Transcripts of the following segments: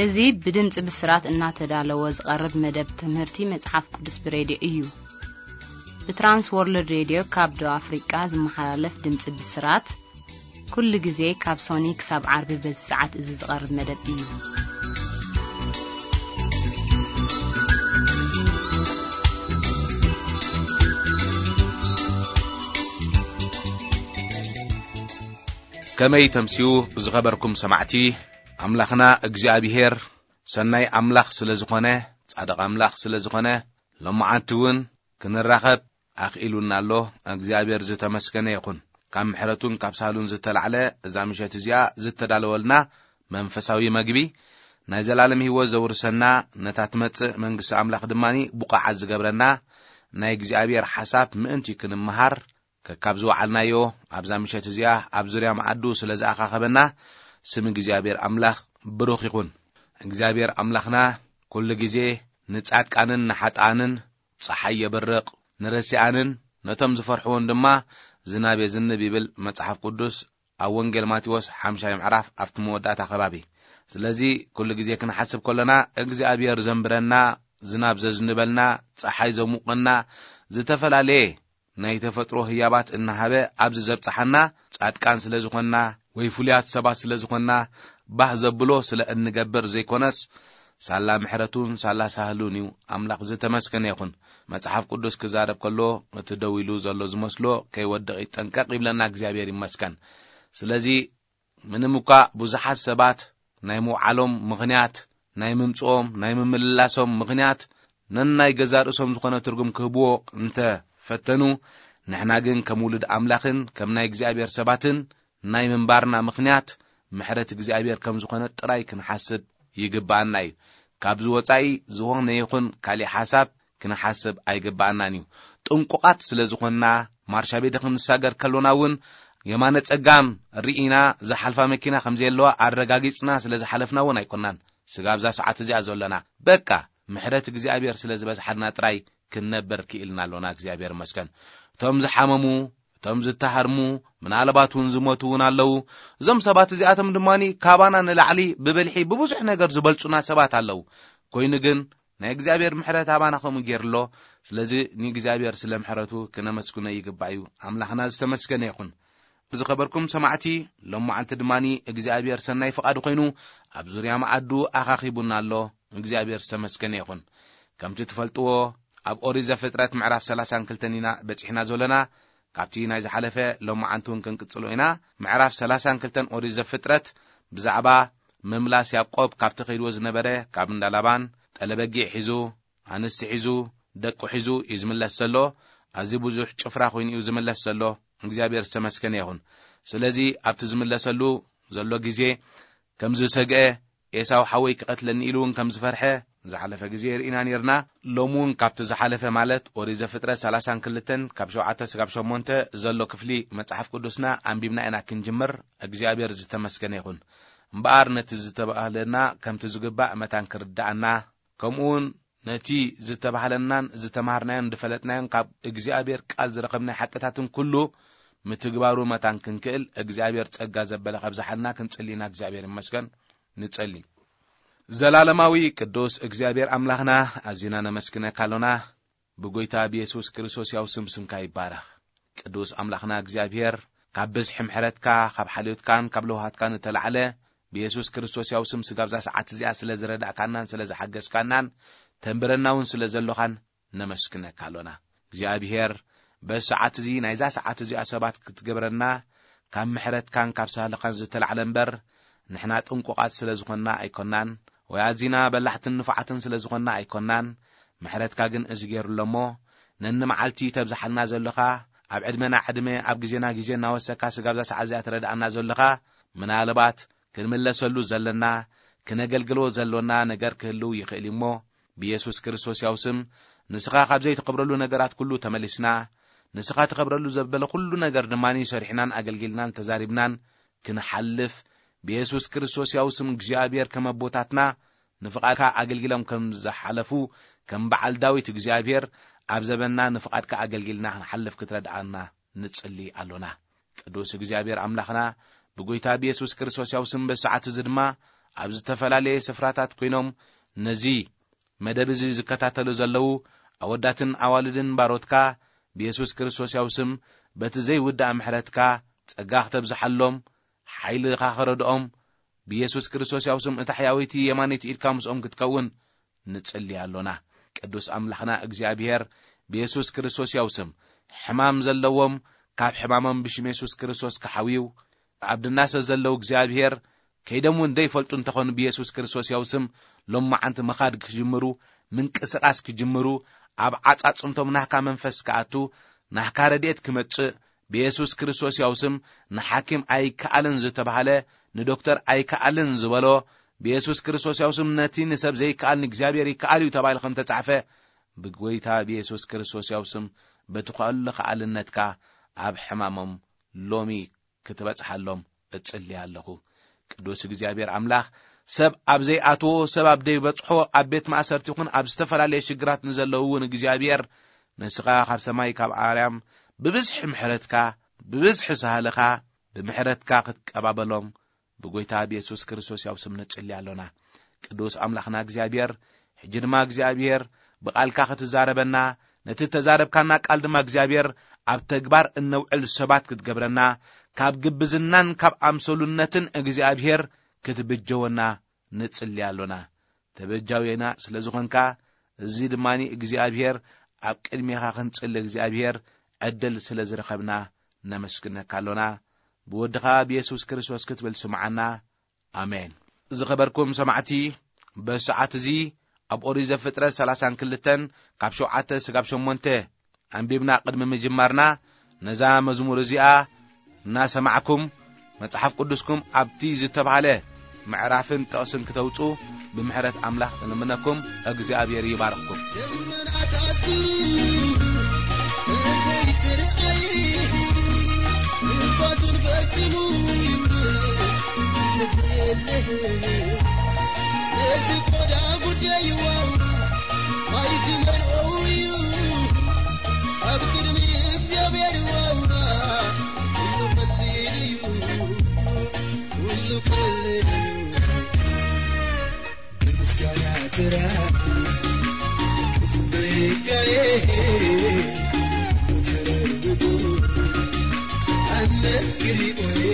እዚ ብድምፂ ብስራት እናተዳለወ ዝቐርብ መደብ ትምህርቲ መጽሓፍ ቅዱስ ብሬድዮ እዩ። ብትራንስ ወርልድ ሬድዮ ካብ ደቡብ ኣፍሪቃ ዝመሓላለፍ ድምፂ ብስራት፣ ኩሉ ግዜ ካብ ሶኒ ክሳብ ዓርቢ በዚ ሰዓት እዚ ዝቐርብ መደብ እዩ። ከመይ ተምስዩ ብዝኸበርኩም ሰማዕቲ፣ ኣምላኽና እግዚኣብሔር ሰናይ ኣምላኽ ስለ ዝኾነ፣ ጻድቕ ኣምላኽ ስለ ዝኾነ፣ ሎማዓንቲ እውን ክንራኸብ ኣኽኢሉና ኣሎ። እግዚኣብሔር ዝተመስገነ ይኹን። ካብ ምሕረቱን ካብ ሳህሉን ዝተላዕለ እዛ ምሸት እዚኣ ዝተዳለወልና መንፈሳዊ መግቢ ናይ ዘላለም ህይወት ዘውርሰና፣ ነታ ትመጽእ መንግስቲ ኣምላኽ ድማኒ ብቑዓት ዝገብረና ናይ እግዚኣብሔር ሓሳብ ምእንቲ ክንመሃር ከካብ ዝወዓልናዮ ኣብዛ ምሸት እዚኣ ኣብ ዙርያ መኣዱ ስለ ዝኣኻኸበና ስም እግዚኣብሔር ኣምላኽ ብሩኽ ይኹን። እግዚኣብሔር ኣምላኽና ኩሉ ግዜ ንጻድቃንን ንሓጥኣንን ጸሓይ የብርቕ፣ ንረሲኣንን ነቶም ዝፈርሕዎን ድማ ዝናብ የዝንብ ይብል መጽሓፍ ቅዱስ ኣብ ወንጌል ማቴዎስ ሓምሻይ ምዕራፍ ኣብቲ መወዳእታ ከባቢ። ስለዚ ኩሉ ግዜ ክንሓስብ ከለና እግዚኣብሔር ዘንብረና፣ ዝናብ ዘዝንበልና፣ ጸሓይ ዘሙቐና፣ ዝተፈላለየ ናይ ተፈጥሮ ህያባት እናሃበ ኣብዚ ዘብጽሓና ጻድቃን ስለ ዝኾንና ወይ ፍሉያት ሰባት ስለ ዝኾንና ባህ ዘብሎ ስለ እንገብር ዘይኮነስ ሳላ ምሕረቱን ሳላ ሳህሉን እዩ። ኣምላኽ ዝተመስገነ ይኹን። መጽሓፍ ቅዱስ ክዛረብ ከሎ እቲ ደው ኢሉ ዘሎ ዝመስሎ ከይወድቕ ይጠንቀቕ ይብለና እግዚኣብሔር ይመስገን። ስለዚ ምንም እኳ ብዙሓት ሰባት ናይ ምውዓሎም ምኽንያት፣ ናይ ምምጽኦም፣ ናይ ምምልላሶም ምኽንያት ነናይ ገዛ ርእሶም ዝኾነ ትርጉም ክህብዎ እንተ ፈተኑ፣ ንሕና ግን ከም ውሉድ ኣምላኽን ከም ናይ እግዚኣብሔር ሰባትን ናይ ምንባርና ምኽንያት ምሕረት እግዚኣብሔር ከም ዝኾነ ጥራይ ክንሓስብ ይግብኣና እዩ። ካብዚ ወጻኢ ዝኾነ ይኹን ካሊእ ሓሳብ ክንሓስብ ኣይግብኣናን እዩ። ጥንቁቓት ስለ ዝኾንና፣ ማርሻ ቤተ ክንሳገር ከሎና እውን የማነ ጸጋም ርኢና፣ ዝሓልፋ መኪና ከም ዘየለዋ ኣረጋጊጽና ስለ ዝሓለፍና እውን ኣይኮናን ስጋብ እዛ ሰዓት እዚኣ ዘሎና። በቃ ምሕረት እግዚኣብሔር ስለ ዝበዝሓልና ጥራይ ክንነብር ክኢልና ኣሎና። እግዚኣብሔር ይመስገን። እቶም ዝሓመሙ፣ እቶም ዝተሃርሙ፣ ምናልባት እውን ዝሞቱ እውን ኣለዉ። እዞም ሰባት እዚኣቶም ድማ ካባና ንላዕሊ ብብልሒ ብብዙሕ ነገር ዝበልጹና ሰባት ኣለዉ። ኮይኑ ግን ናይ እግዚኣብሔር ምሕረት ኣባና ከምኡ ገይሩ ኣሎ። ስለዚ ንእግዚኣብሔር ስለ ምሕረቱ ክነመስግኖ ይግባእ እዩ። ኣምላኽና ዝተመስገነ ይኹን። ዝኸበርኩም ሰማዕቲ፣ ሎማዓንቲ ድማ እግዚኣብሔር ሰናይ ፍቓዱ ኮይኑ ኣብ ዙርያ መኣዱ ኣኻኺቡና ኣሎ። እግዚኣብሔር ዝተመስገነ ይኹን። ከምቲ ትፈልጥዎ፣ ኣብ ኦሪት ዘፍጥረት ምዕራፍ ሰላሳን ክልተን ኢና በጺሕና ዘለና። ካብቲ ናይ ዝሓለፈ ሎማዓንቲ እውን ክንቅጽሎ ኢና። ምዕራፍ ሰላሳን ክልተን ኦሪት ዘፍጥረት ብዛዕባ ምምላስ ያዕቆብ ካብቲ ከይድዎ ዝነበረ፣ ካብ እንዳ ላባን ጠለበጊዕ ሒዙ፣ ኣንስቲ ሒዙ፣ ደቁ ሒዙ እዩ ዝምለስ ዘሎ። ኣዝዩ ብዙሕ ጭፍራ ኮይኑ እዩ ዝምለስ ዘሎ። እግዚኣብሔር ዝተመስገነ ይኹን። ስለዚ ኣብቲ ዝምለሰሉ ዘሎ ግዜ ከም ዝሰግአ፣ ኤሳው ሓወይ ክቐትለኒ ኢሉ እውን ከም ዝፈርሐ ዝሓለፈ ግዜ ርኢና ነርና። ሎሚ እውን ካብቲ ዝሓለፈ ማለት ኦሪት ዘፍጥረት ሰላሳን ክልተን ካብ ሸውዓተ ስጋብ ሸሞንተ ዘሎ ክፍሊ መጽሓፍ ቅዱስና ኣንቢብና ኢና ክንጅምር። እግዚኣብሔር ዝተመስገነ ይኹን። እምበኣር ነቲ ዝተባህለና ከምቲ ዝግባእ መታን ክርድኣና፣ ከምኡ እውን ነቲ ዝተባህለናን ዝተማሃርናዮን ዝፈለጥናዮን ካብ እግዚኣብሔር ቃል ዝረኸብናዮ ሓቅታትን ኩሉ ምትግባሩ መታን ክንክእል እግዚኣብሔር ጸጋ ዘበለ ከብዝሓልና ክንጽሊ ኢና። እግዚኣብሔር ይመስገን። ንጸሊ። ዘላለማዊ ቅዱስ እግዚኣብሔር ኣምላኽና፣ ኣዚና ነመስግነካ ኣሎና። ብጎይታ ብየሱስ ክርስቶስ ያው ስም ስምካ ይባረኽ። ቅዱስ ኣምላኽና እግዚኣብሔር፣ ካብ ብዝሒ ምሕረትካ፣ ካብ ሓልዮትካን ካብ ለውሃትካን እተላዕለ፣ ብየሱስ ክርስቶስ ያው ስም ስጋብዛ ሰዓት እዚኣ ስለ ዝረዳእካናን ስለ ዝሓገዝካናን ተንብረና እውን ስለ ዘሎኻን ነመስግነካ ኣሎና። እግዚኣብሔር፣ በዚ ሰዓት እዚ ናይዛ ሰዓት እዚኣ ሰባት ክትገብረና ካብ ምሕረትካን ካብ ሳህልኻን ዝተላዕለ እምበር፣ ንሕና ጥንቁቓት ስለ ዝኾንና ኣይኮናን፣ ወይ ኣዚና በላሕትን ንፉዓትን ስለ ዝኾንና ኣይኮናን። ምሕረትካ ግን እዚ ገይሩ ኣሎ እሞ፣ ነንመዓልቲ ተብዝሓልና ዘለኻ፣ ኣብ ዕድመና ዕድመ፣ ኣብ ግዜና ግዜ እናወሰካ ስጋብዛ ሰዓት እዚኣ ትረድኣና ዘለኻ፣ ምናልባት ክንምለሰሉ ዘለና፣ ክነገልግሎ ዘሎና ነገር ክህልው ይኽእል እዩ እሞ፣ ብየሱስ ክርስቶስ ያው ስም፣ ንስኻ ካብ ዘይትኸብረሉ ነገራት ኩሉ ተመሊስና፣ ንስኻ ትኸብረሉ ዘበለ ኩሉ ነገር ድማ ሰሪሕናን ኣገልጊልናን ተዛሪብናን ክንሓልፍ፣ ብየሱስ ክርስቶስ ያው ስም እግዚኣብሔር ከም ኣቦታትና ንፍቓድካ ኣገልጊሎም ከም ዝሓለፉ፣ ከም በዓል ዳዊት እግዚኣብሔር ኣብ ዘበንና ንፍቓድካ ኣገልጊልና ክንሓልፍ ክትረድኣና ንጽሊ ኣሎና። ቅዱስ እግዚኣብሔር ኣምላኽና፣ ብጎይታ ብየሱስ ክርስቶስ ያው ስም በዚ ሰዓት እዚ ድማ ኣብ ዝተፈላለየ ስፍራታት ኮይኖም ነዚ መደብ እዚ ዝከታተሉ ዘለዉ ኣወዳትን ኣዋልድን ባሮትካ ብየሱስ ክርስቶስ ያው ስም በቲ ዘይውዳእ ምሕረትካ ጸጋ ክተብዝሓሎም፣ ሓይልኻ ክረድኦም፣ ብየሱስ ክርስቶስ ያው ስም እታ ሕያወይቲ የማነይቲ ኢድካ ምስኦም ክትከውን ንጽሊ ኣሎና። ቅዱስ ኣምላኽና እግዚኣብሔር ብየሱስ ክርስቶስ ያው ስም ሕማም ዘለዎም ካብ ሕማሞም ብሽም የሱስ ክርስቶስ ክሓውዩ፣ ኣብ ድናሰ ዘለዉ እግዚኣብሔር ከይዶም እውን ደይፈልጡ እንተኾኑ ብየሱስ ክርስቶስ ያው ስም ሎማዓንቲ ምኻድ ክጅምሩ፣ ምንቅስቓስ ክጅምሩ፣ ኣብ ዓጻጽምቶም ናህካ መንፈስ ክኣቱ፣ ናህካ ረድኤት ክመጽእ፣ ብየሱስ ክርስቶስ ያው ስም ንሓኪም ኣይከኣልን ዝተባህለ፣ ንዶክተር ኣይከኣልን ዝበሎ፣ ብየሱስ ክርስቶስ ያው ስም ነቲ ንሰብ ዘይከኣል ንእግዚኣብሔር ይከኣል እዩ ተባሂሉ ከም ተጻሕፈ፣ ብጎይታ ብየሱስ ክርስቶስ ያው ስም በቲ ኸኣሉ ከኣልነትካ ኣብ ሕማሞም ሎሚ ክትበጽሓሎም እጽሊ ኣለኹ። ቅዱስ እግዚኣብሔር ኣምላኽ፣ ሰብ ኣብ ዘይኣትዎ፣ ሰብ ኣብ ዘይበጽሖ፣ ኣብ ቤት ማእሰርቲ ይኹን ኣብ ዝተፈላለየ ሽግራት ንዘለዉ እውን እግዚኣብሔር፣ ንስኻ ካብ ሰማይ ካብ ኣርያም ብብዝሒ ምሕረትካ፣ ብብዝሒ ሳህልኻ፣ ብምሕረትካ ክትቀባበሎም ብጎይታ ብየሱስ ክርስቶስ ያው ስም ንጽሊ ኣሎና። ቅዱስ ኣምላኽና እግዚኣብሔር፣ ሕጂ ድማ እግዚኣብሔር ብቓልካ ክትዛረበና፣ ነቲ ተዛረብካና ቃል ድማ እግዚኣብሔር ኣብ ተግባር እነውዕል ሰባት ክትገብረና፣ ካብ ግብዝናን ካብ ኣምሰሉነትን እግዚኣብሔር ክትብጀወና ንጽሊ ኣሎና። ተበጃውየና ስለ ዝኾንካ፣ እዚ ድማ እግዚኣብሔር ኣብ ቅድሜኻ ክንጽሊ እግዚኣብሔር ዕድል ስለ ዝረኸብና ነመስግነካ ኣሎና። ብወድኻ ብየሱስ ክርስቶስ ክትብል ስምዓና። ኣሜን። ዝኸበርኩም ሰማዕቲ፣ በሰዓት እዚ ኣብ ኦሪት ዘፍጥረት ሰላሳን ክልተን ካብ ሸውዓተ ስጋብ ሸሞንተ ኣንቢብና ቅድሚ ምጅማርና፣ ነዛ መዝሙር እዚኣ እናሰማዕኩም መጽሓፍ ቅዱስኩም ኣብቲ ዝተባህለ ምዕራፍን ጥቕስን ክተውጹ ብምሕረት ኣምላኽ እልምነኩም። እግዚኣብሔር ይባርኽኩም። ደመናታት ዘይትርኣይ፣ ንፋሱን ፈጺሙ ተዘየለ። ነዚ ቆዳ ጉዳይ ዋው፣ ማይ ክመልኦ እዩ። ኣብ ቅድሚ እግዚኣብሔር ዋው፣ ኩሉ ቀሊል እዩ። ኩሉ ቀሊል እዩ። ብምስጋና ጥራይ ክጽበየካየ ተረድቶ ኣነ ክሪኦየ።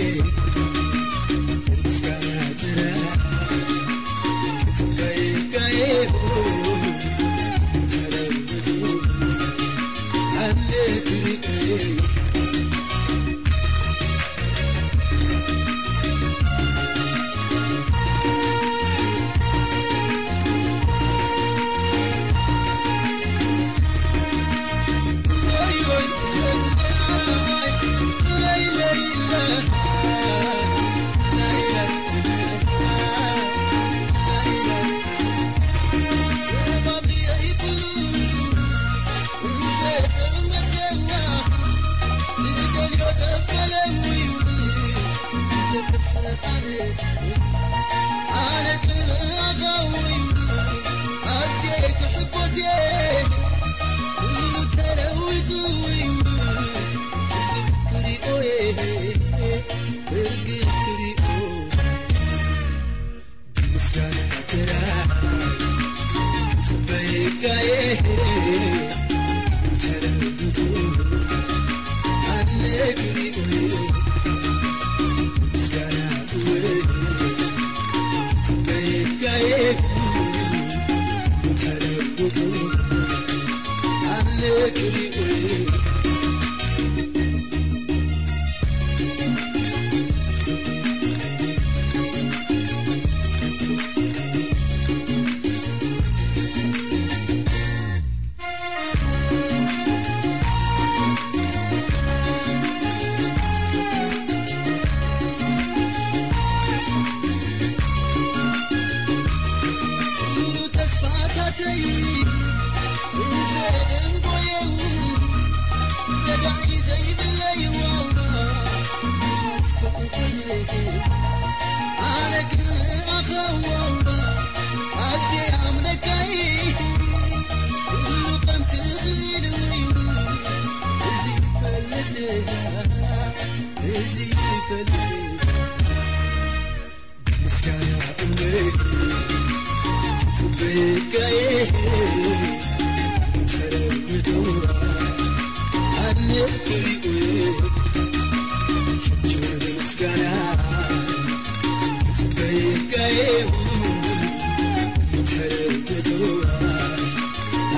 ብምስጋና ጥራይ ክጽበየካየ ተረድቶ ኣነ ክሪኦየ።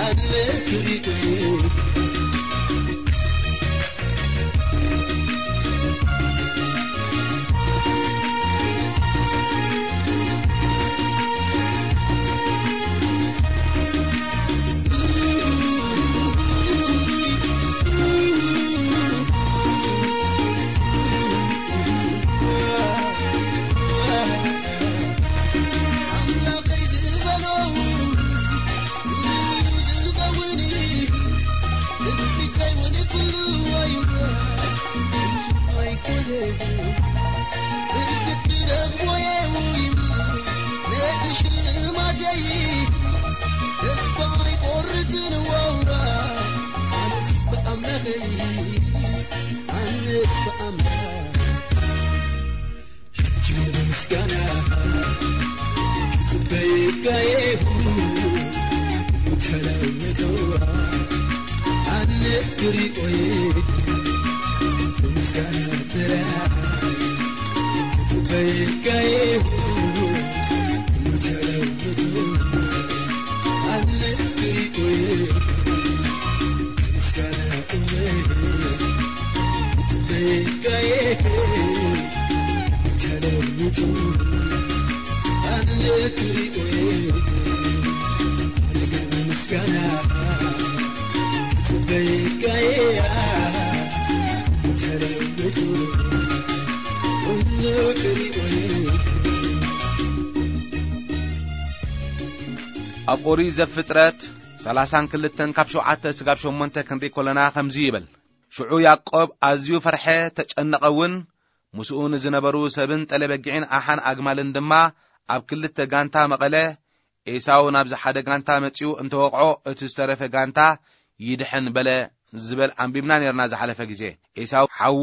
ሕጂ እውን ብምስጋና ክጽበየካ እየ፣ ተለውጦ ኣነ ክሪኦ እየ። ብምስጋና ጥራይ ክጽበየካ እየ፣ ተለውጦ ኣነ ክሪኦ እየ። ኣብ ኦሪት ዘፍጥረት ሰላሳን ክልተን ካብ ሸውዓተ ስጋብ ሸሞንተ ክንርኢ ከለና ከምዚ ይብል። ሽዑ ያዕቆብ ኣዝዩ ፈርሐ፣ ተጨነቐ እውን። ምስኡ ንዝነበሩ ሰብን ጠለ በጊዕን ኣሓን ኣግማልን ድማ ኣብ ክልተ ጋንታ መቐለ። ኤሳው ናብዚ ሓደ ጋንታ መጺኡ እንተወቕዖ፣ እቲ ዝተረፈ ጋንታ ይድሕን በለ ዝብል ኣንቢብና ነርና ዝሓለፈ ግዜ። ኤሳው ሓዉ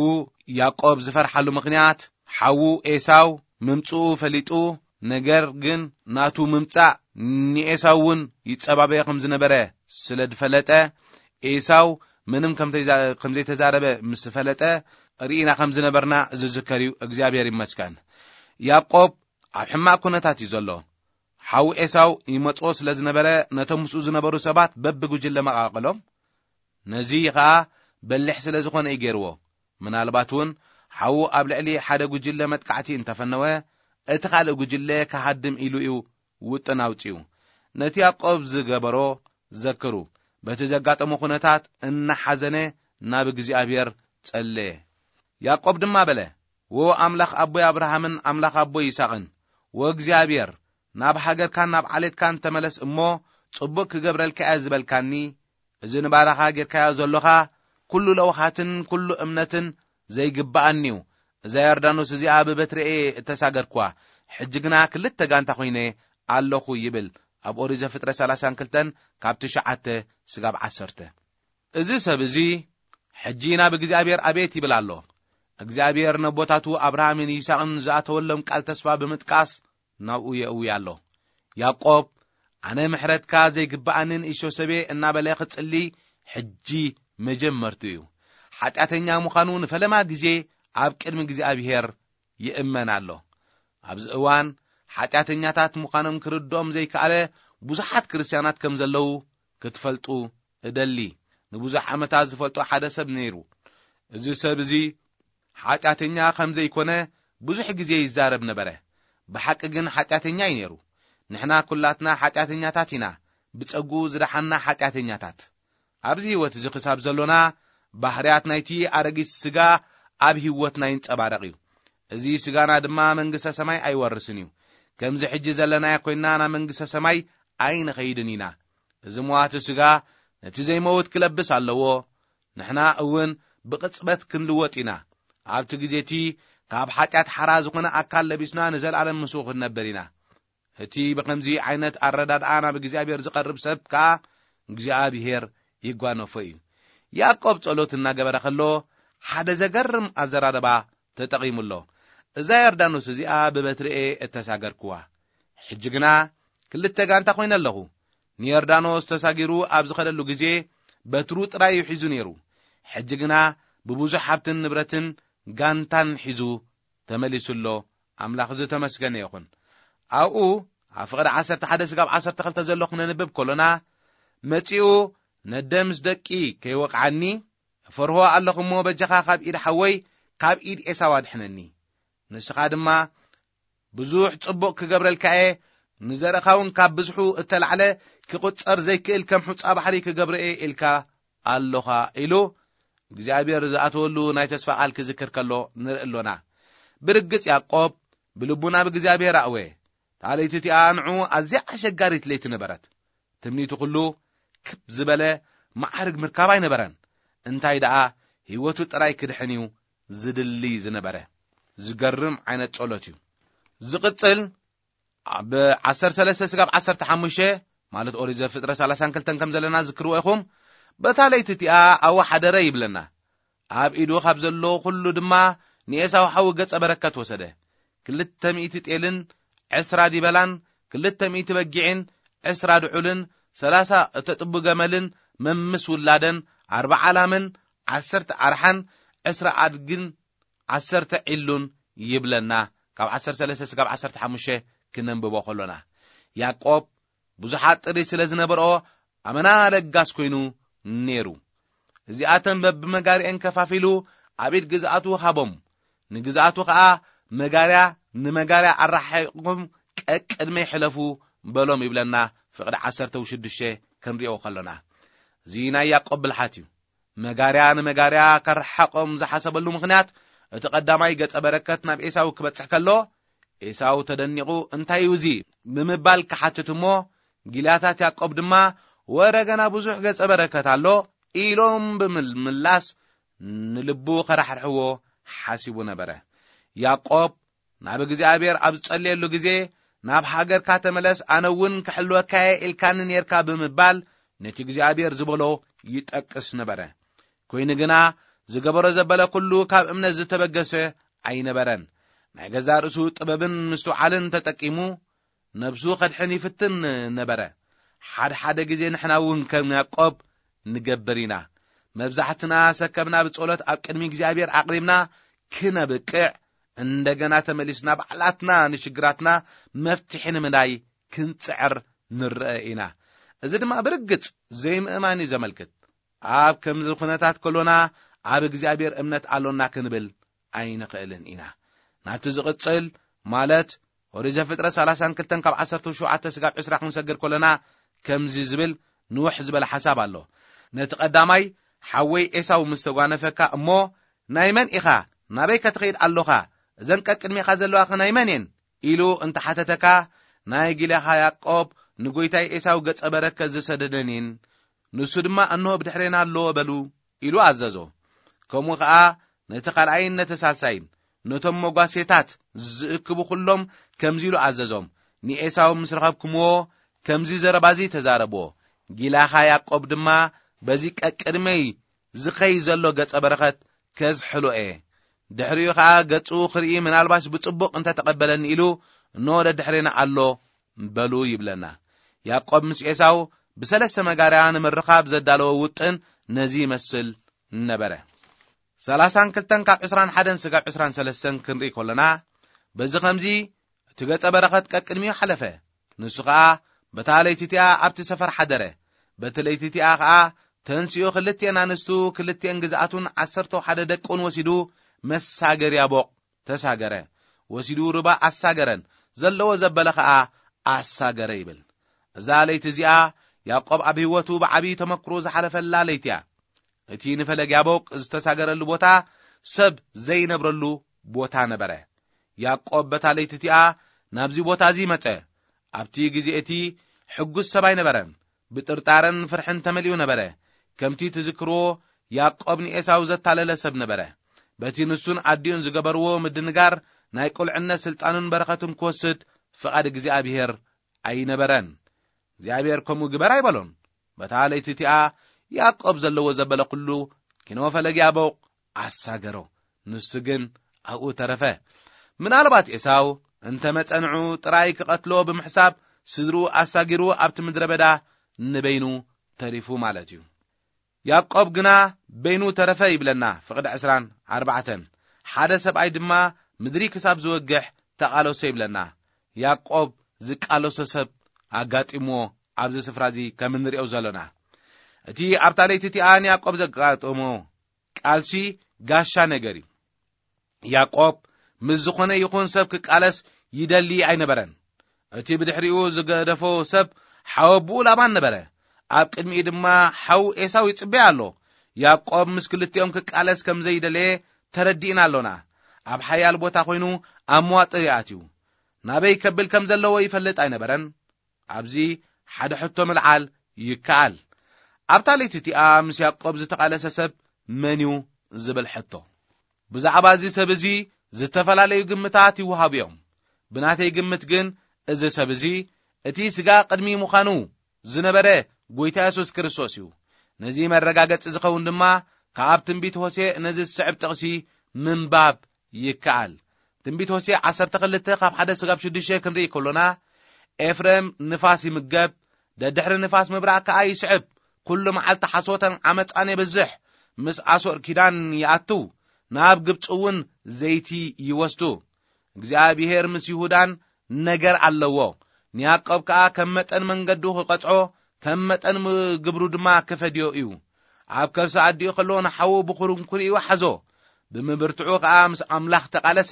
ያዕቆብ ዝፈርሓሉ ምኽንያት፣ ሓዉ ኤሳው ምምጽኡ ፈሊጡ፣ ነገር ግን ናቱ ምምጻእ ንኤሳው እውን ይጸባበዮ ከም ዝነበረ ስለ ዝፈለጠ፣ ኤሳው ምንም ከም ተይዛ-፣ ከም ዘይተዛረበ ምስ ፈለጠ፣ ርኢና ከም ዝነበርና ዝዝከር እዩ። እግዚኣብሔር ይመስገን። ያዕቆብ ኣብ ሕማቕ ኩነታት እዩ ዘሎ። ሓዉ ኤሳው ይመጽኦ ስለ ዝነበረ፣ ነቶም ምስኡ ዝነበሩ ሰባት በብጉጅለ መቓቐሎም። ነዚ ኸኣ በሊሕ ስለ ዝኾነ እዩ ገይርዎ። ምናልባት እውን ሓዉ ኣብ ልዕሊ ሓደ ጉጅለ መጥቃዕቲ እንተፈነወ፣ እቲ ካልእ ጉጅለ ክሃድም ኢሉ እዩ ውጥን ኣውጺኡ። ነቲ ያዕቆብ ዝገበሮ ዘክሩ። በቲ ዘጋጠሞ ኩነታት እናሓዘነ ናብ እግዚኣብሔር ጸለየ። ያዕቆብ ድማ በለ፣ "ወ ኣምላኽ ኣቦይ ኣብርሃምን ኣምላኽ ኣቦይ ይስሐቅን፣ ወ እግዚኣብሔር፣ ናብ ሃገርካን ናብ ዓሌትካን ተመለስ እሞ፣ ጽቡቅ ክገብረልካ እየ ዝበልካኒ፣ እዚ ንባራኻ ጌርካዮ ዘሎኻ ኩሉ ለውሃትን ኩሉ እምነትን ዘይግብኣኒ እዩ። እዛ ዮርዳኖስ እዚኣ ብበትሪ እየ እተሳገርኩዋ። ሕጂ ግና ክልተ ጋንታ ኮይነ ኣለኹ" ይብል ኣብ ኦሪት ዘፍጥረት ሰላሳን ክልተን ካብ ትሽዓተ ስጋብ ዓሰርተ። እዚ ሰብ እዚ ሕጂ ናብ እግዚኣብሔር ኣቤት ይብል ኣሎ። እግዚኣብሔር ነቦታቱ ኣብርሃምን ይስሐቅን ዝኣተወሎም ቃል ተስፋ ብምጥቃስ ናብኡ የእዊ ኣሎ። ያዕቆብ፣ "ኣነ ምሕረትካ ዘይግብኣኒ ንእሽቶ ሰብየ" እናበለ ክጽሊ ሕጂ መጀመርቱ እዩ። ሓጢኣተኛ ምዃኑ ንፈለማ ግዜ ኣብ ቅድሚ እግዚኣብሔር ይእመን ኣሎ። ኣብዚ እዋን ሓጢኣተኛታት ምዃኖም ክርድኦም ዘይከኣለ ብዙሓት ክርስትያናት ከም ዘለዉ ክትፈልጡ እደሊ። ንብዙሕ ዓመታት ዝፈልጦ ሓደ ሰብ ነይሩ። እዚ ሰብ እዚ ሓጢኣተኛ ከም ዘይኮነ ብዙሕ ግዜ ይዛረብ ነበረ። ብሓቂ ግን ሓጢኣተኛ እዩ ነይሩ። ንሕና ኩላትና ሓጢኣተኛታት ኢና፣ ብጸግኡ ዝደሓንና ሓጢኣተኛታት። ኣብዚ ህይወት እዚ ክሳብ ዘሎና፣ ባህርያት ናይቲ ኣረጊት ስጋ ኣብ ህይወትና ይንጸባረቕ እዩ። እዚ ስጋና ድማ መንግስተ ሰማይ ኣይወርስን እዩ። ከምዚ ሕጂ ዘለናዮ ኮይንና ናብ መንግስተ ሰማይ ኣይንኸይድን ኢና። እዚ መዋቲ ስጋ ነቲ ዘይመውት ክለብስ ኣለዎ። ንሕና እውን ብቕጽበት ክንልወጥ ኢና። ኣብቲ ግዜ እቲ ካብ ሓጢኣት ሓራ ዝኾነ ኣካል ለቢስና ንዘለኣለም ምስኡ ክንነብር ኢና። እቲ ብኸምዚ ዓይነት ኣረዳድኣ ናብ እግዚኣብሔር ዝቐርብ ሰብ ከኣ እግዚኣብሔር ይጓነፎ እዩ። ያዕቆብ ጸሎት እናገበረ ከሎ ሓደ ዘገርም ኣዘራርባ ተጠቒሙ ኣሎ። "እዛ ዮርዳኖስ እዚኣ ብበትሪ እየ እተሳገርክዋ። ሕጂ ግና ክልተ ጋንታ ኮይነ ኣለኹ። ንዮርዳኖስ ተሳጊሩ ኣብ ዝኸደሉ ግዜ በትሩ ጥራይ እዩ ሒዙ ነይሩ። ሕጂ ግና ብብዙሕ ሃብትን ንብረትን ጋንታን ሒዙ ተመሊሱ ኣሎ። ኣምላኽ ዝተመስገነ ይኹን።" ኣብኡ ኣብ ፍቕዲ ዓሰርተ ሓደ ስጋብ ዓሰርተ ክልተ ዘሎ ክነንብብ ከሎና፣ መጺኡ፣ ነደ ምስ ደቂ ከይወቕዓኒ፣ እፈርሆ ኣለኹ እሞ፣ በጃኻ ካብ ኢድ ሓወይ፣ ካብ ኢድ ኤሳው ኣድሕነኒ። ንስኻ ድማ ብዙሕ ጽቡቕ ክገብረልካ እየ፣ ንዘርእኻ እውን ካብ ብዝሑ እተላዕለ ክቑጸር ዘይክእል ከም ሑጻ ባሕሪ ክገብሮ እየ ኢልካ ኣሎኻ ኢሉ እግዚኣብሔር ዝኣተወሉ ናይ ተስፋ ቃል ክዝክር ከሎ ንርኢ ኣሎና። ብርግጽ ያዕቆብ ብልቡ ናብ እግዚኣብሔር ኣእወየ። እታ ለይቲ እቲኣ ንዕኡ ኣዝያ ኣሸጋሪት ለይቲ ነበረት። ትምኒቱ ኩሉ ክብ ዝበለ መዓርግ ምርካብ ኣይነበረን። እንታይ ደኣ ህይወቱ ጥራይ ክድሕን እዩ ዝድሊ ዝነበረ። ዝገርም ዓይነት ጸሎት እዩ። ዝቕጽል ኣብ ዓሰርተ ሰለስተ ስጋብ ዓሰርተ ሓሙሽተ ማለት ኦሪት ዘፍጥረት ሰላሳን ክልተን ከም ዘለና ዝክርዎ ኢኹም። በታ ለይቲ እቲኣ ኣወሓደረ ይብለና። ኣብ ኢዱ ካብ ዘሎ ኩሉ ድማ ንኤሳው ሓዉ ገጸ በረከት ወሰደ። ክልተ ሚእቲ ጤልን ዕስራ ዲበላን፣ ክልተ ሚእቲ በጊዕን፣ ዕስራ ድዑልን፣ ሰላሳ እተጥቡ ገመልን፣ መምስ ውላደን፣ ኣርባዓ ላምን፣ ዓሰርተ ኣርሓን፣ ዕስራ ኣድግን፣ ዓሰርተ ዒሉን ይብለና። ካብ ዓሰርተ ሰለስተ ስጋብ ዓሰርተ ሓሙሽተ ክነንብቦ ከሎና፣ ያዕቆብ ብዙሓት ጥሪት ስለ ዝነበርኦ፣ ኣመና ለጋስ ኮይኑ ነይሩ። እዚኣተን በብመጋርኤን ከፋፊሉ ኣብ ኢድ ግዝኣቱ ሃቦም። ንግዝኣቱ ኸኣ፣ መጋርያ ንመጋርያ ኣረሓሒቕኩም ቀቅድመይ ሕለፉ በሎም ይብለና። ፍቕዲ ዓሰርተ ሽዱሽተ ክንሪኦ ከሎና፣ እዚ ናይ ያዕቆብ ብልሓት እዩ። መጋርያ ንመጋርያ ከረሓቖም ዝሓሰበሉ ምኽንያት፣ እቲ ቀዳማይ ገጸ በረከት ናብ ኤሳው ክበጽሕ ከሎ፣ ኤሳው ተደኒቑ፣ "እንታይ እዩ እዚ?" ብምባል ክሓትት እሞ፣ ጊልያታት ያዕቆብ ድማ፣ "ወረ ገና ብዙሕ ገጸ በረከት ኣሎ" ኢሎም ብምምላስ፣ ንልቡ ከራሕርሕዎ ሓሲቡ ነበረ። ያዕቆብ ናብ እግዚኣብሔር ኣብ ዝጸልየሉ ግዜ፣ "ናብ ሃገርካ ተመለስ፣ ኣነ እውን ክሕልወካ እየ ኢልካኒ ኔርካ" ብምባል ነቲ እግዚኣብሔር ዝበሎ ይጠቅስ ነበረ። ኮይኑ ግና፣ ዝገበሮ ዘበለ ኩሉ ካብ እምነት ዝተበገሰ ኣይነበረን። ናይ ገዛእ ርእሱ ጥበብን ምስትውዓልን ተጠቂሙ ነብሱ ከድሕን ይፍትን ነበረ። ሓደ ሓደ ግዜ ንሕና እውን ከም ያዕቆብ ንገብር ኢና። መብዛሕትና ሰከምና ብጸሎት ኣብ ቅድሚ እግዚኣብሔር ኣቕሪብና ክነብቅዕ፣ እንደገና ተመሊስና ባዕላትና ንሽግራትና መፍትሒ ንምንዳይ ክንጽዕር ንረአ ኢና። እዚ ድማ ብርግጽ ዘይምእማን እዩ ዘመልክት። ኣብ ከምዚ ኩነታት ከሎና፣ ኣብ እግዚኣብሔር እምነት ኣሎና ክንብል ኣይንኽእልን ኢና። ናብቲ ዝቕጽል፣ ማለት ኦሪት ዘፍጥረት ሰላሳን ክልተን ካብ ዓሰርተ ሸውዓተ ስጋብ ዕስራ ክንሰግር ከሎና፣ ከምዚ ዝብል ንውሕ ዝበለ ሓሳብ ኣሎ። ነቲ ቀዳማይ፣ ሓወይ ኤሳው ምስ ተጓነፈካ እሞ፣ "ናይ መን ኢኻ? ናበይ ከ ትኸይድ ኣሎኻ? እዘን ቀቅድሜኻ ዘለዋ ኸ ናይ መን እየን?" ኢሉ እንተሓተተካ፣ ናይ ጊላኻ ያዕቆብ ንጎይታይ ኤሳው ገጸ በረከት ዝሰደደን እየን። ንሱ ድማ፣ "እንሆ ብድሕሬና ኣሎ" በሉ ኢሉ ኣዘዞ። ከምኡ ኸኣ ነቲ ካልኣይን ነቲ ሳልሳይን፣ ነቶም መጓሴታት ዝእክቡ ኩሎም ከምዚ ኢሉ ኣዘዞም፣ "ንኤሳው ምስ ረኸብኩምዎ፣ ከምዚ ዘረባዚ ተዛረብዎ፣ ጊላኻ ያዕቆብ ድማ በዚ ቀቅድመይ ዝኸይ ዘሎ ገጸ በረኸት ከዝሕሎ እየ። ድሕሪኡ ኸኣ ገጹ ክርኢ ምናልባሽ ብጽቡቕ እንተ ተቐበለኒ ኢሉ፣ እንሆ ደድሕሬና ኣሎ" በሉ ይብለና። ያዕቆብ ምስ ኤሳው ብሰለስተ መጋርያ ንምርኻብ ዘዳለዎ ውጥን ነዚ ይመስል ነበረ። ሰላሳን ክልተን ካብ ዕስራን ሓደን ስጋብ ዕስራን ሰለስተን ክንርኢ ከሎና፣ በዚ ኸምዚ እቲ ገጸ በረኸት ቀቅድሚኡ ሓለፈ። ንሱ ኸኣ በታ ለይቲ እቲኣ ኣብቲ ሰፈር ሓደረ። በቲ ለይቲ እቲኣ ኸኣ ተንሲኡ ክልቲኤን ኣንስቱ፣ ክልቲኤን ግዝኣቱን ዓሰርተ ሓደ ደቁን ወሲዱ መሳገርያ ቦቕ ተሳገረ። ወሲዱ ሩባ ኣሳገረን፣ ዘለዎ ዘበለ ኸኣ ኣሳገረ ይብል። እዛ ለይቲ እዚኣ ያዕቆብ ኣብ ህይወቱ ብዓብዪ ተመክሮ ዝሓለፈላ ለይቲ እያ። እቲ ንፈለግ ያቦቅ ዝተሳገረሉ ቦታ ሰብ ዘይነብረሉ ቦታ ነበረ። ያዕቆብ በታ ለይቲ እቲኣ ናብዚ ቦታ እዚ መጸ። ኣብቲ ግዜ እቲ ሕጉስ ሰብ ኣይነበረን። ብጥርጣረን ፍርሕን ተመሊኡ ነበረ። ከምቲ ትዝክርዎ፣ ያዕቆብ ንኤሳው ዘታለለ ሰብ ነበረ። በቲ ንሱን ኣዲኡን ዝገበርዎ ምድንጋር፣ ናይ ቁልዕነት ስልጣኑን በረኸቱን ክወስድ ፍቓድ እግዚኣብሔር ኣይነበረን። እግዚኣብሔር ከምኡ ግበር ኣይበሎን። በታ ለይቲ እቲኣ ያዕቆብ ዘለዎ ዘበለ ኩሉ ኪኖ ፈለግ ያቦቕ ኣሳገሮ። ንሱ ግን ኣብኡ ተረፈ። ምናልባት ኤሳው እንተ መጸ ንዑ ጥራይ ክቐትሎ ብምሕሳብ ስድርኡ ኣሳጊሩ ኣብቲ ምድረ በዳ ንበይኑ ተሪፉ ማለት እዩ። ያዕቆብ ግና በይኑ ተረፈ ይብለና ፍቕዲ ዕስራን ኣርባዕተን። ሓደ ሰብኣይ ድማ ምድሪ ክሳብ ዝወግሕ ተቓለሶ ይብለና። ያዕቆብ ዝቃለሶ ሰብ ኣጋጢምዎ ኣብዚ ስፍራ እዚ ከም እንሪኦ ዘሎና፣ እቲ ኣብታ ለይቲ እቲኣ ንያዕቆብ ዘጋጠሞ ቃልሲ ጋሻ ነገር እዩ። ያዕቆብ ምስ ዝኾነ ይኹን ሰብ ክቃለስ ይደሊ ኣይነበረን። እቲ ብድሕሪኡ ዝገደፎ ሰብ ሓወ ኣቦኡ ላባን ነበረ። ኣብ ቅድሚኡ ድማ ሓው ኤሳው ይጽበያ ኣሎ። ያዕቆብ ምስ ክልቲኦም ክቃለስ ከም ዘይደለየ ተረዲእና ኣሎና። ኣብ ሓያል ቦታ ኮይኑ ኣብ መዋጥር ይኣትዩ። ናበይ ከብል ከም ዘለዎ ይፈልጥ ኣይነበረን። ኣብዚ ሓደ ሕቶ ምልዓል ይከኣል። ኣብታ ለይቲ እቲኣ ምስ ያዕቆብ ዝተቓለሰ ሰብ መን እዩ ዝብል ሕቶ። ብዛዕባ እዚ ሰብ እዚ ዝተፈላለዩ ግምታት ይወሃቡ እዮም። ብናተይ ግምት ግን እዚ ሰብ እዚ እቲ ስጋ ቅድሚ ምዃኑ ዝነበረ ጎይታ የሱስ ክርስቶስ እዩ። ነዚ መረጋገጺ ዝኸውን ድማ ካብ ትንቢት ሆሴዕ ነዚ ዝስዕብ ጥቕሲ ምንባብ ይከኣል። ትንቢት ሆሴዕ ዓሰርተ ክልተ ካብ ሓደ ስጋብ ሽዱሽተ ክንርኢ ከሎና፣ ኤፍሬም ንፋስ ይምገብ፣ ደድሕሪ ንፋስ ምብራቕ ከኣ ይስዕብ። ኩሉ መዓልቲ ሓሶተን ዓመጻን የብዝሕ። ምስ ኣሶር ኪዳን ይኣቱ፣ ናብ ግብጺ እውን ዘይቲ ይወስዱ። እግዚኣብሔር ምስ ይሁዳን ነገር ኣለዎ። ንያዕቆብ ከኣ ከም መጠን መንገዱ ክቐጽዖ፣ ከም መጠን ም-፣ ግብሩ ድማ ክፈድዮ እዩ። ኣብ ከርሲ ኣዲኡ ከሎ ንሓዉ ብኹርንኩሪኡ ሓዞ። ብምብርትዑ ከኣ ምስ ኣምላኽ ተቓለሰ።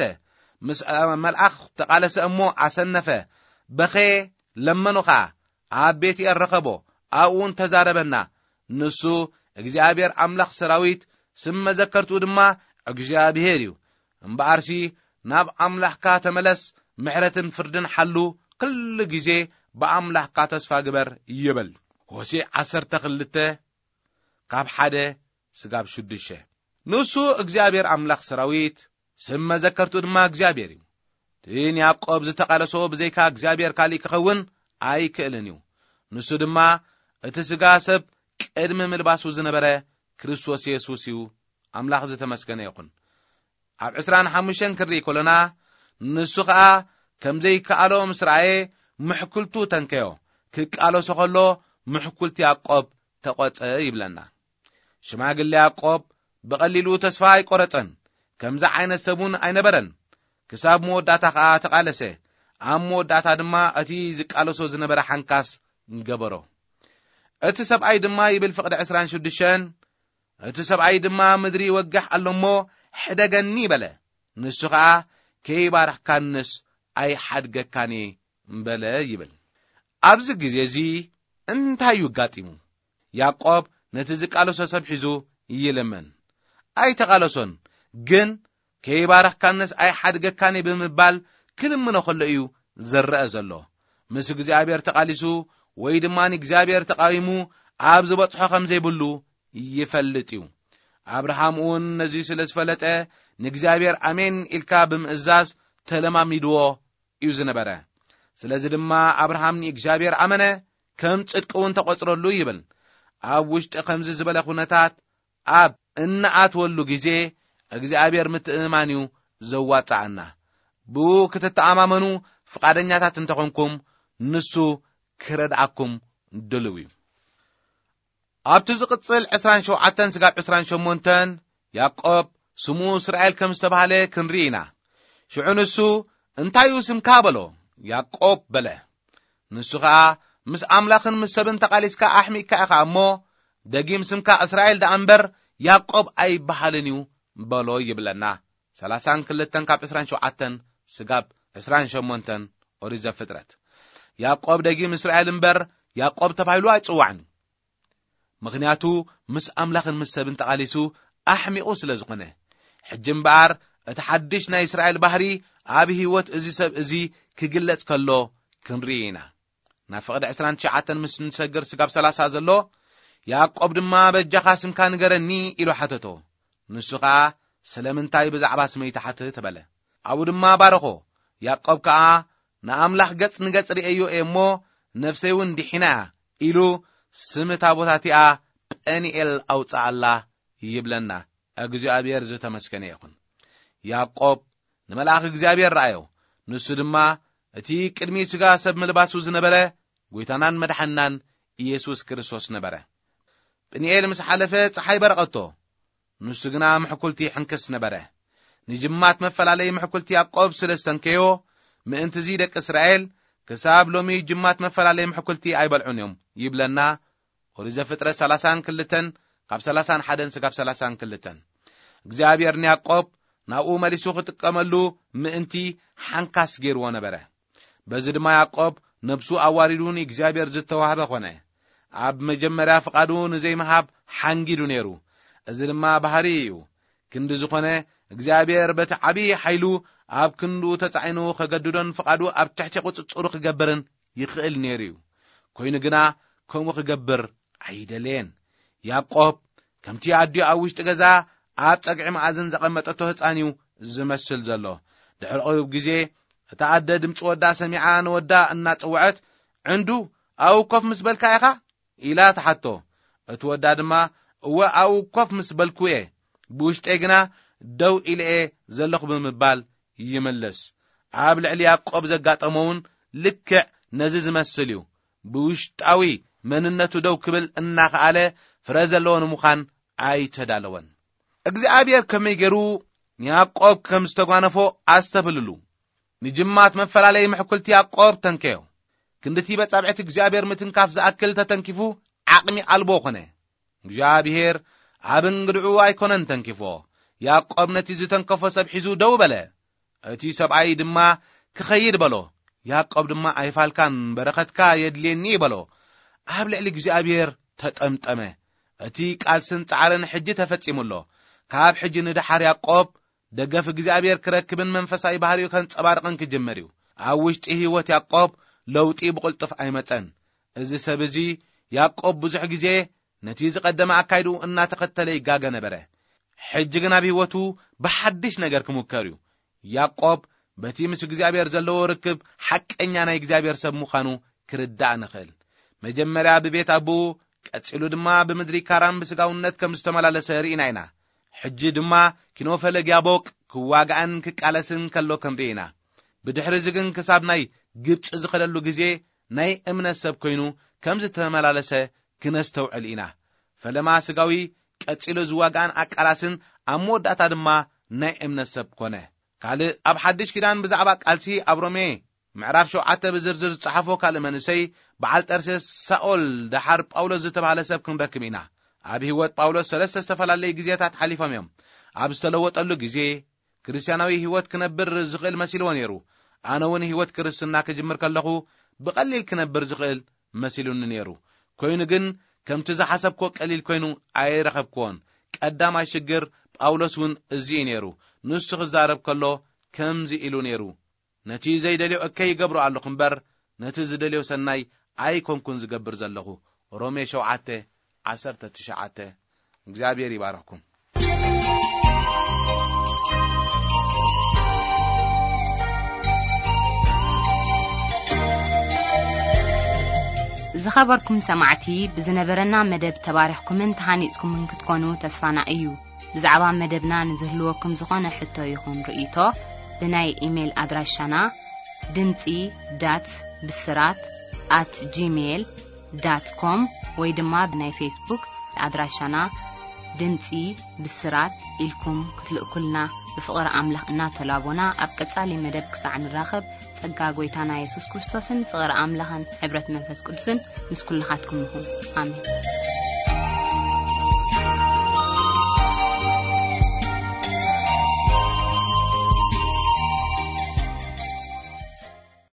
ምስ፣ እ፣ መልኣኽ ተቓለሰ እሞ ኣሰነፈ። በኸየ፣ ለመኖ ኸኣ። ኣብ ቤትኤል ረኸቦ። ኣብኡ እውን ተዛረበና። ንሱ እግዚኣብሔር ኣምላኽ ሰራዊት፣ ስም መዘከርትኡ ድማ እግዚኣብሔር እዩ። እምበኣርሲ ናብ ኣምላኽካ ተመለስ፣ ምሕረትን ፍርድን ሓሉ፣ ኩሉ ግዜ ብኣምላኽካ ተስፋ ግበር ይብል። ሆሴዕ ዓሰርተ ክልተ ካብ ሓደ ስጋብ ሽዱሽተ። ንሱ እግዚኣብሔር ኣምላኽ ሰራዊት፣ ስም መዘከርትኡ ድማ እግዚኣብሔር እዩ። እቲ ንያዕቆብ ዝተቓለሶ ብዘይካ እግዚኣብሔር ካሊእ ክኸውን ኣይክእልን እዩ። ንሱ ድማ እቲ ስጋ ሰብ ቅድሚ ምልባሱ ዝነበረ ክርስቶስ የሱስ እዩ። ኣምላኽ ዝተመስገነ ይኹን። ኣብ ዕስራን ሓሙሽተን ክንርኢ ከሎና፣ ንሱ ኸኣ ከም ዘይከኣሎ ምስ ረኣየ፣ ምሕኩልቱ ተንከዮ። ክቃለሶ ኸሎ፣ ምሕኩልቲ ያዕቆብ ተቖጸ ይብለና። ሽማግለ ያዕቆብ ብቐሊሉ ተስፋ ኣይቆረጸን። ከምዚ ዓይነት ሰብ እውን ኣይነበረን። ክሳብ መወዳእታ ኸኣ ተቓለሰ። ኣብ መወዳእታ ድማ እቲ ዝቃለሶ ዝነበረ ሓንካስ ገበሮ። እቲ ሰብኣይ ድማ ይብል ፍቕዲ ዕስራን ሽዱሽተን፣ እቲ ሰብኣይ ድማ ምድሪ ይወግሕ ኣሎ እሞ፣ ሕደገኒ በለ። ንሱ ኸኣ ከይባረኽካንስ ኣይሓድገካን እየ በለ ይብል። ኣብዚ ግዜ እዚ እንታይ እዩ ኣጋጢሙ? ያዕቆብ ነቲ ዝቃለሶ ሰብ ሒዙ ይልምን። ኣይተቓለሶን፣ ግን ከይባረኽካንስ ኣይሓድገካን እየ ብምባል ክልምኖ ከሎ እዩ ዝረአ ዘሎ። ምስ እግዚኣብሔር ተቓሊሱ ወይ ድማ ንእግዚኣብሔር ተቓዊሙ ኣብ ዝበጽሖ ከም ዘይብሉ ይፈልጥ እዩ። ኣብርሃም እውን ነዚ ስለ ዝፈለጠ፣ ንእግዚኣብሔር ኣሜን ኢልካ ብምእዛዝ ተለማሚድዎ እዩ ዝነበረ። ስለዚ ድማ ኣብርሃም ንእግዚኣብሔር ኣመነ፣ ከም ጽድቂ እውን ተቖጽረሉ ይብል። ኣብ ውሽጢ ከምዚ ዝበለ ኩነታት ኣብ እንኣትወሉ ግዜ፣ እግዚኣብሔር ምትእምማን እዩ ዘዋጽኣና። ብኡ ክትተኣማመኑ ፍቓደኛታት እንተኾንኩም፣ ንሱ ክረድኣኩም ድልው እዩ። ኣብቲ ዝቕጽል ዕስራን ሸውዓተን ስጋብ ዕስራን ሸሞንተን፣ ያዕቆብ ስሙ እስራኤል ከም ዝተባህለ ክንርኢ ኢና። ሽዑ ንሱ፣ "እንታይ እዩ ስምካ?" በሎ። "ያዕቆብ" በለ። ንሱ ኸኣ፣ "ምስ ኣምላኽን ምስ ሰብን ተቓሊስካ ኣሕሚቕካ ኢኻ እሞ፣ ደጊም ስምካ እስራኤል ደኣ እምበር ያዕቆብ ኣይበሃልን እዩ" በሎ ይብለና። ሰላሳን ክልተን ካብ ዕስራን ሸውዓተን ስጋብ ዕስራን ሸሞንተን ኦሪት ዘፍጥረት። ያዕቆብ ደጊም እስራኤል እምበር ያዕቆብ ተባሂሉ ኣይጽዋዕን። ምኽንያቱ ምስ ኣምላኽን ምስ ሰብን ተቓሊሱ ኣሕሚቑ ስለ ዝኾነ። ሕጂ እምበኣር እቲ ሓድሽ ናይ እስራኤል ባህሪ ኣብ ህይወት እዚ ሰብ እዚ ክግለጽ ከሎ ክንርኢ ኢና። ናብ ፍቕዲ ዕስራን ትሽዓተን ምስ ንሰግር ስጋብ ሰላሳ ዘሎ፣ ያዕቆብ ድማ "በጃኻ ስምካ ንገረኒ" ኢሉ ሓተቶ። ንሱ ኸኣ "ስለምንታይ ብዛዕባ ስመይ ትሓትት?" በለ። ኣብኡ ድማ ባረኾ። ያዕቆብ ከኣ "ንኣምላኽ ገጽ ንገጽ ርእየዮ እየ እሞ፣ ነፍሰይ እውን ድሒና እያ" ኢሉ ስም እታ ቦታ እቲኣ ጴኒኤል ኣውጽኣላ ይብለና። እግዚኣብሔር ዝተመስገነ ይኹን። ያዕቆብ ንመልኣኽ እግዚኣብሔር ረኣዮ። ንሱ ድማ እቲ ቅድሚ ሥጋ ሰብ ምልባሱ ዝነበረ ጐይታናን መድሓንናን ኢየሱስ ክርስቶስ ነበረ። ጴኒኤል ምስ ሓለፈ ጸሓይ በረቐቶ። ንሱ ግና ምሕኩልቲ ይሕንክስ ነበረ። ንጅማት መፈላለዪ ምሕኩልቲ ያዕቆብ ስለ ዝተንከዮ፣ ምእንትዚ ደቂ እስራኤል ክሳብ ሎሚ ጅማት መፈላለይ ምሕኩልቲ ኣይበልዑን እዮም ይብለና። ኦሪት ዘፍጥረት ሰላሳን ክልተን፣ ካብ ሰላሳን ሓደን ስጋብ ሰላሳን ክልተን። እግዚኣብሔር ንያዕቆብ ናብኡ መሊሱ ክጥቀመሉ ምእንቲ ሓንካስ ገይርዎ ነበረ። በዚ ድማ ያዕቆብ ነብሱ ኣዋሪዱ ንእግዚኣብሔር ዝተዋህበ ኾነ። ኣብ መጀመርያ ፍቓዱ ንዘይምሃብ ሓንጊዱ ነይሩ። እዚ ድማ ባህሪ እዩ። ክንዲ ዝኾነ እግዚኣብሔር በቲ ዓብዪ ሓይሉ ኣብ ክንዱ ተጻዒኑ ከገድዶን ፍቓዱ ኣብ ትሕቲ ቁጽጽሩ ክገብርን ይኽእል ነይሩ እዩ። ኮይኑ ግና ከምኡ ክገብር ኣይደለየን። ያዕቆብ ከምቲ ኣዲኡ ኣብ ውሽጢ ገዛ ኣብ ጸግዒ መኣዝን ዘቐመጠቶ ህጻን እዩ ዝመስል ዘሎ። ድሕሪ ቁሩብ ግዜ እታ ኣደ ድምጺ ወዳ ሰሚዓ ንወዳ እናጸውዐት፣ "ዕንዱ ኣብኡ ኮፍ ምስ በልካ ኢኻ?" ኢላ ትሓቶ። እቲ ወዳ ድማ፣ "እወ ኣብኡ ኮፍ ምስ በልኩ እየ፣ ብውሽጠይ ግና ደው ኢለ እየ ዘለኹ" ብምባል ይምልስ። ኣብ ልዕሊ ያዕቆብ ዘጋጠመ እውን ልክዕ ነዚ ዝመስል እዩ። ብውሽጣዊ መንነቱ ደው ክብል እናኸኣለ ፍረ ዘለዎ ንምዃን ኣይተዳለወን። እግዚኣብሔር ከመይ ገይሩ ንያዕቆብ ከም ዝተጓነፎ ኣስተብህልሉ። ንጅማት መፈላለይ ምሕኩልቲ ያዕቆብ ተንከዮ። ክንድቲ በጻብዕቲ እግዚኣብሔር ምትንካፍ ዝኣክል ተተንኪፉ ዓቕሚ ኣልቦ ኾነ። እግዚኣብሔር ኣብ እንግድዑ ኣይኮነን ተንኪፎ። ያዕቆብ ነቲ ዝተንከፎ ሰብ ሒዙ ደው በለ። እቲ ሰብኣይ ድማ ክኸይድ በሎ። ያዕቆብ ድማ ኣይፋልካን በረኸትካ የድልየኒ በሎ። ኣብ ልዕሊ እግዚኣብሔር ተጠምጠመ። እቲ ቃልስን ጻዕርን ሕጂ ተፈጺሙ ኣሎ። ካብ ሕጂ ንደሓር ያዕቆብ ደገፍ እግዚኣብሔር ክረክብን መንፈሳዊ ባህሪኡ ከንጸባርቕን ክጅምር እዩ። ኣብ ውሽጢ ህይወት ያዕቆብ ለውጢ ብቕልጡፍ ኣይመጸን። እዚ ሰብ እዚ ያዕቆብ ብዙሕ ግዜ ነቲ ዝቐደመ ኣካይድኡ እናተኸተለ ይጋገ ነበረ። ሕጂ ግን ኣብ ህይወቱ ብሓድሽ ነገር ክምከር እዩ። ያዕቆብ በቲ ምስ እግዚኣብሔር ዘለዎ ርክብ ሓቀኛ ናይ እግዚኣብሔር ሰብ ምዃኑ ክርዳእ ንኽእል። መጀመርያ ብቤት ኣቦኡ፣ ቀጺሉ ድማ ብምድሪ ካራን ብስጋውነት ከም ዝተመላለሰ ርኢና ኢና። ሕጂ ድማ ኪኖፈለግ ያቦቅ ክዋጋእን ክቃለስን ከሎ ክንርኢ ኢና። ብድሕሪ እዚ ግን ክሳብ ናይ ግብጺ ዝኸደሉ ግዜ ናይ እምነት ሰብ ኮይኑ ከም ዝተመላለሰ ክነስተውዕል ኢና። ፈለማ ስጋዊ፣ ቀጺሉ ዝዋጋእን ኣቃላስን፣ ኣብ መወዳእታ ድማ ናይ እምነት ሰብ ኮነ። ካልእ ኣብ ሓድሽ ኪዳን ብዛዕባ ቃልሲ ኣብ ሮሜ ምዕራፍ ሸውዓተ ብዝርዝር ዝጸሓፎ ካልእ መንእሰይ በዓል ጠርሴስ ሳኦል ደሓር ጳውሎስ ዝተባህለ ሰብ ክንረክብ ኢና። ኣብ ህይወት ጳውሎስ ሰለስተ ዝተፈላለዩ ግዜታት ሓሊፎም እዮም። ኣብ ዝተለወጠሉ ግዜ ክርስትያናዊ ህይወት ክነብር ዝኽእል መሲልዎ ነይሩ። ኣነ እውን ህይወት ክርስትና ክጅምር ከለኹ ብቐሊል ክነብር ዝኽእል መሲሉኒ ነይሩ። ኮይኑ ግን ከምቲ ዝሓሰብኮ ቀሊል ኮይኑ ኣይረኸብክዎን። ቀዳማይ ሽግር ጳውሎስ እውን እዚ እዩ ነይሩ። ንሱ ክዛረብ ከሎ ከምዚ ኢሉ ነይሩ፣ "ነቲ ዘይደልዮ እከይ ይገብሮ ኣለኹ እምበር ነቲ ዝደልዮ ሰናይ ኣይኮንኩን ዝገብር ዘለኹ።" ሮሜ ሸውዓተ ዓሰርተ ትሽዓተ። እግዚኣብሔር ይባርኽኩም። ዝኸበርኩም ሰማዕቲ፣ ብዝነበረና መደብ ተባሪኽኩምን ተሃኒጽኩምን ክትኮኑ ተስፋና እዩ። ብዛዕባ መደብና ንዝህልወኩም ዝኾነ ሕቶ ይኹን ርእይቶ፣ ብናይ ኢሜይል ኣድራሻና ድምጺ ዳት ብስራት ኣት ጂሜይል ዳት ኮም ወይ ድማ ብናይ ፌስቡክ ኣድራሻና ድምጺ ብስራት ኢልኩም ክትልእኩልና ብፍቕሪ ኣምላኽ እናተላቦና፣ ኣብ ቀጻሊ መደብ ክሳዕ ንራኸብ፣ ጸጋ ጐይታና የሱስ ክርስቶስን ፍቕሪ ኣምላኽን ሕብረት መንፈስ ቅዱስን ምስ ኩልኻትኩም ይኹን። ኣሜን።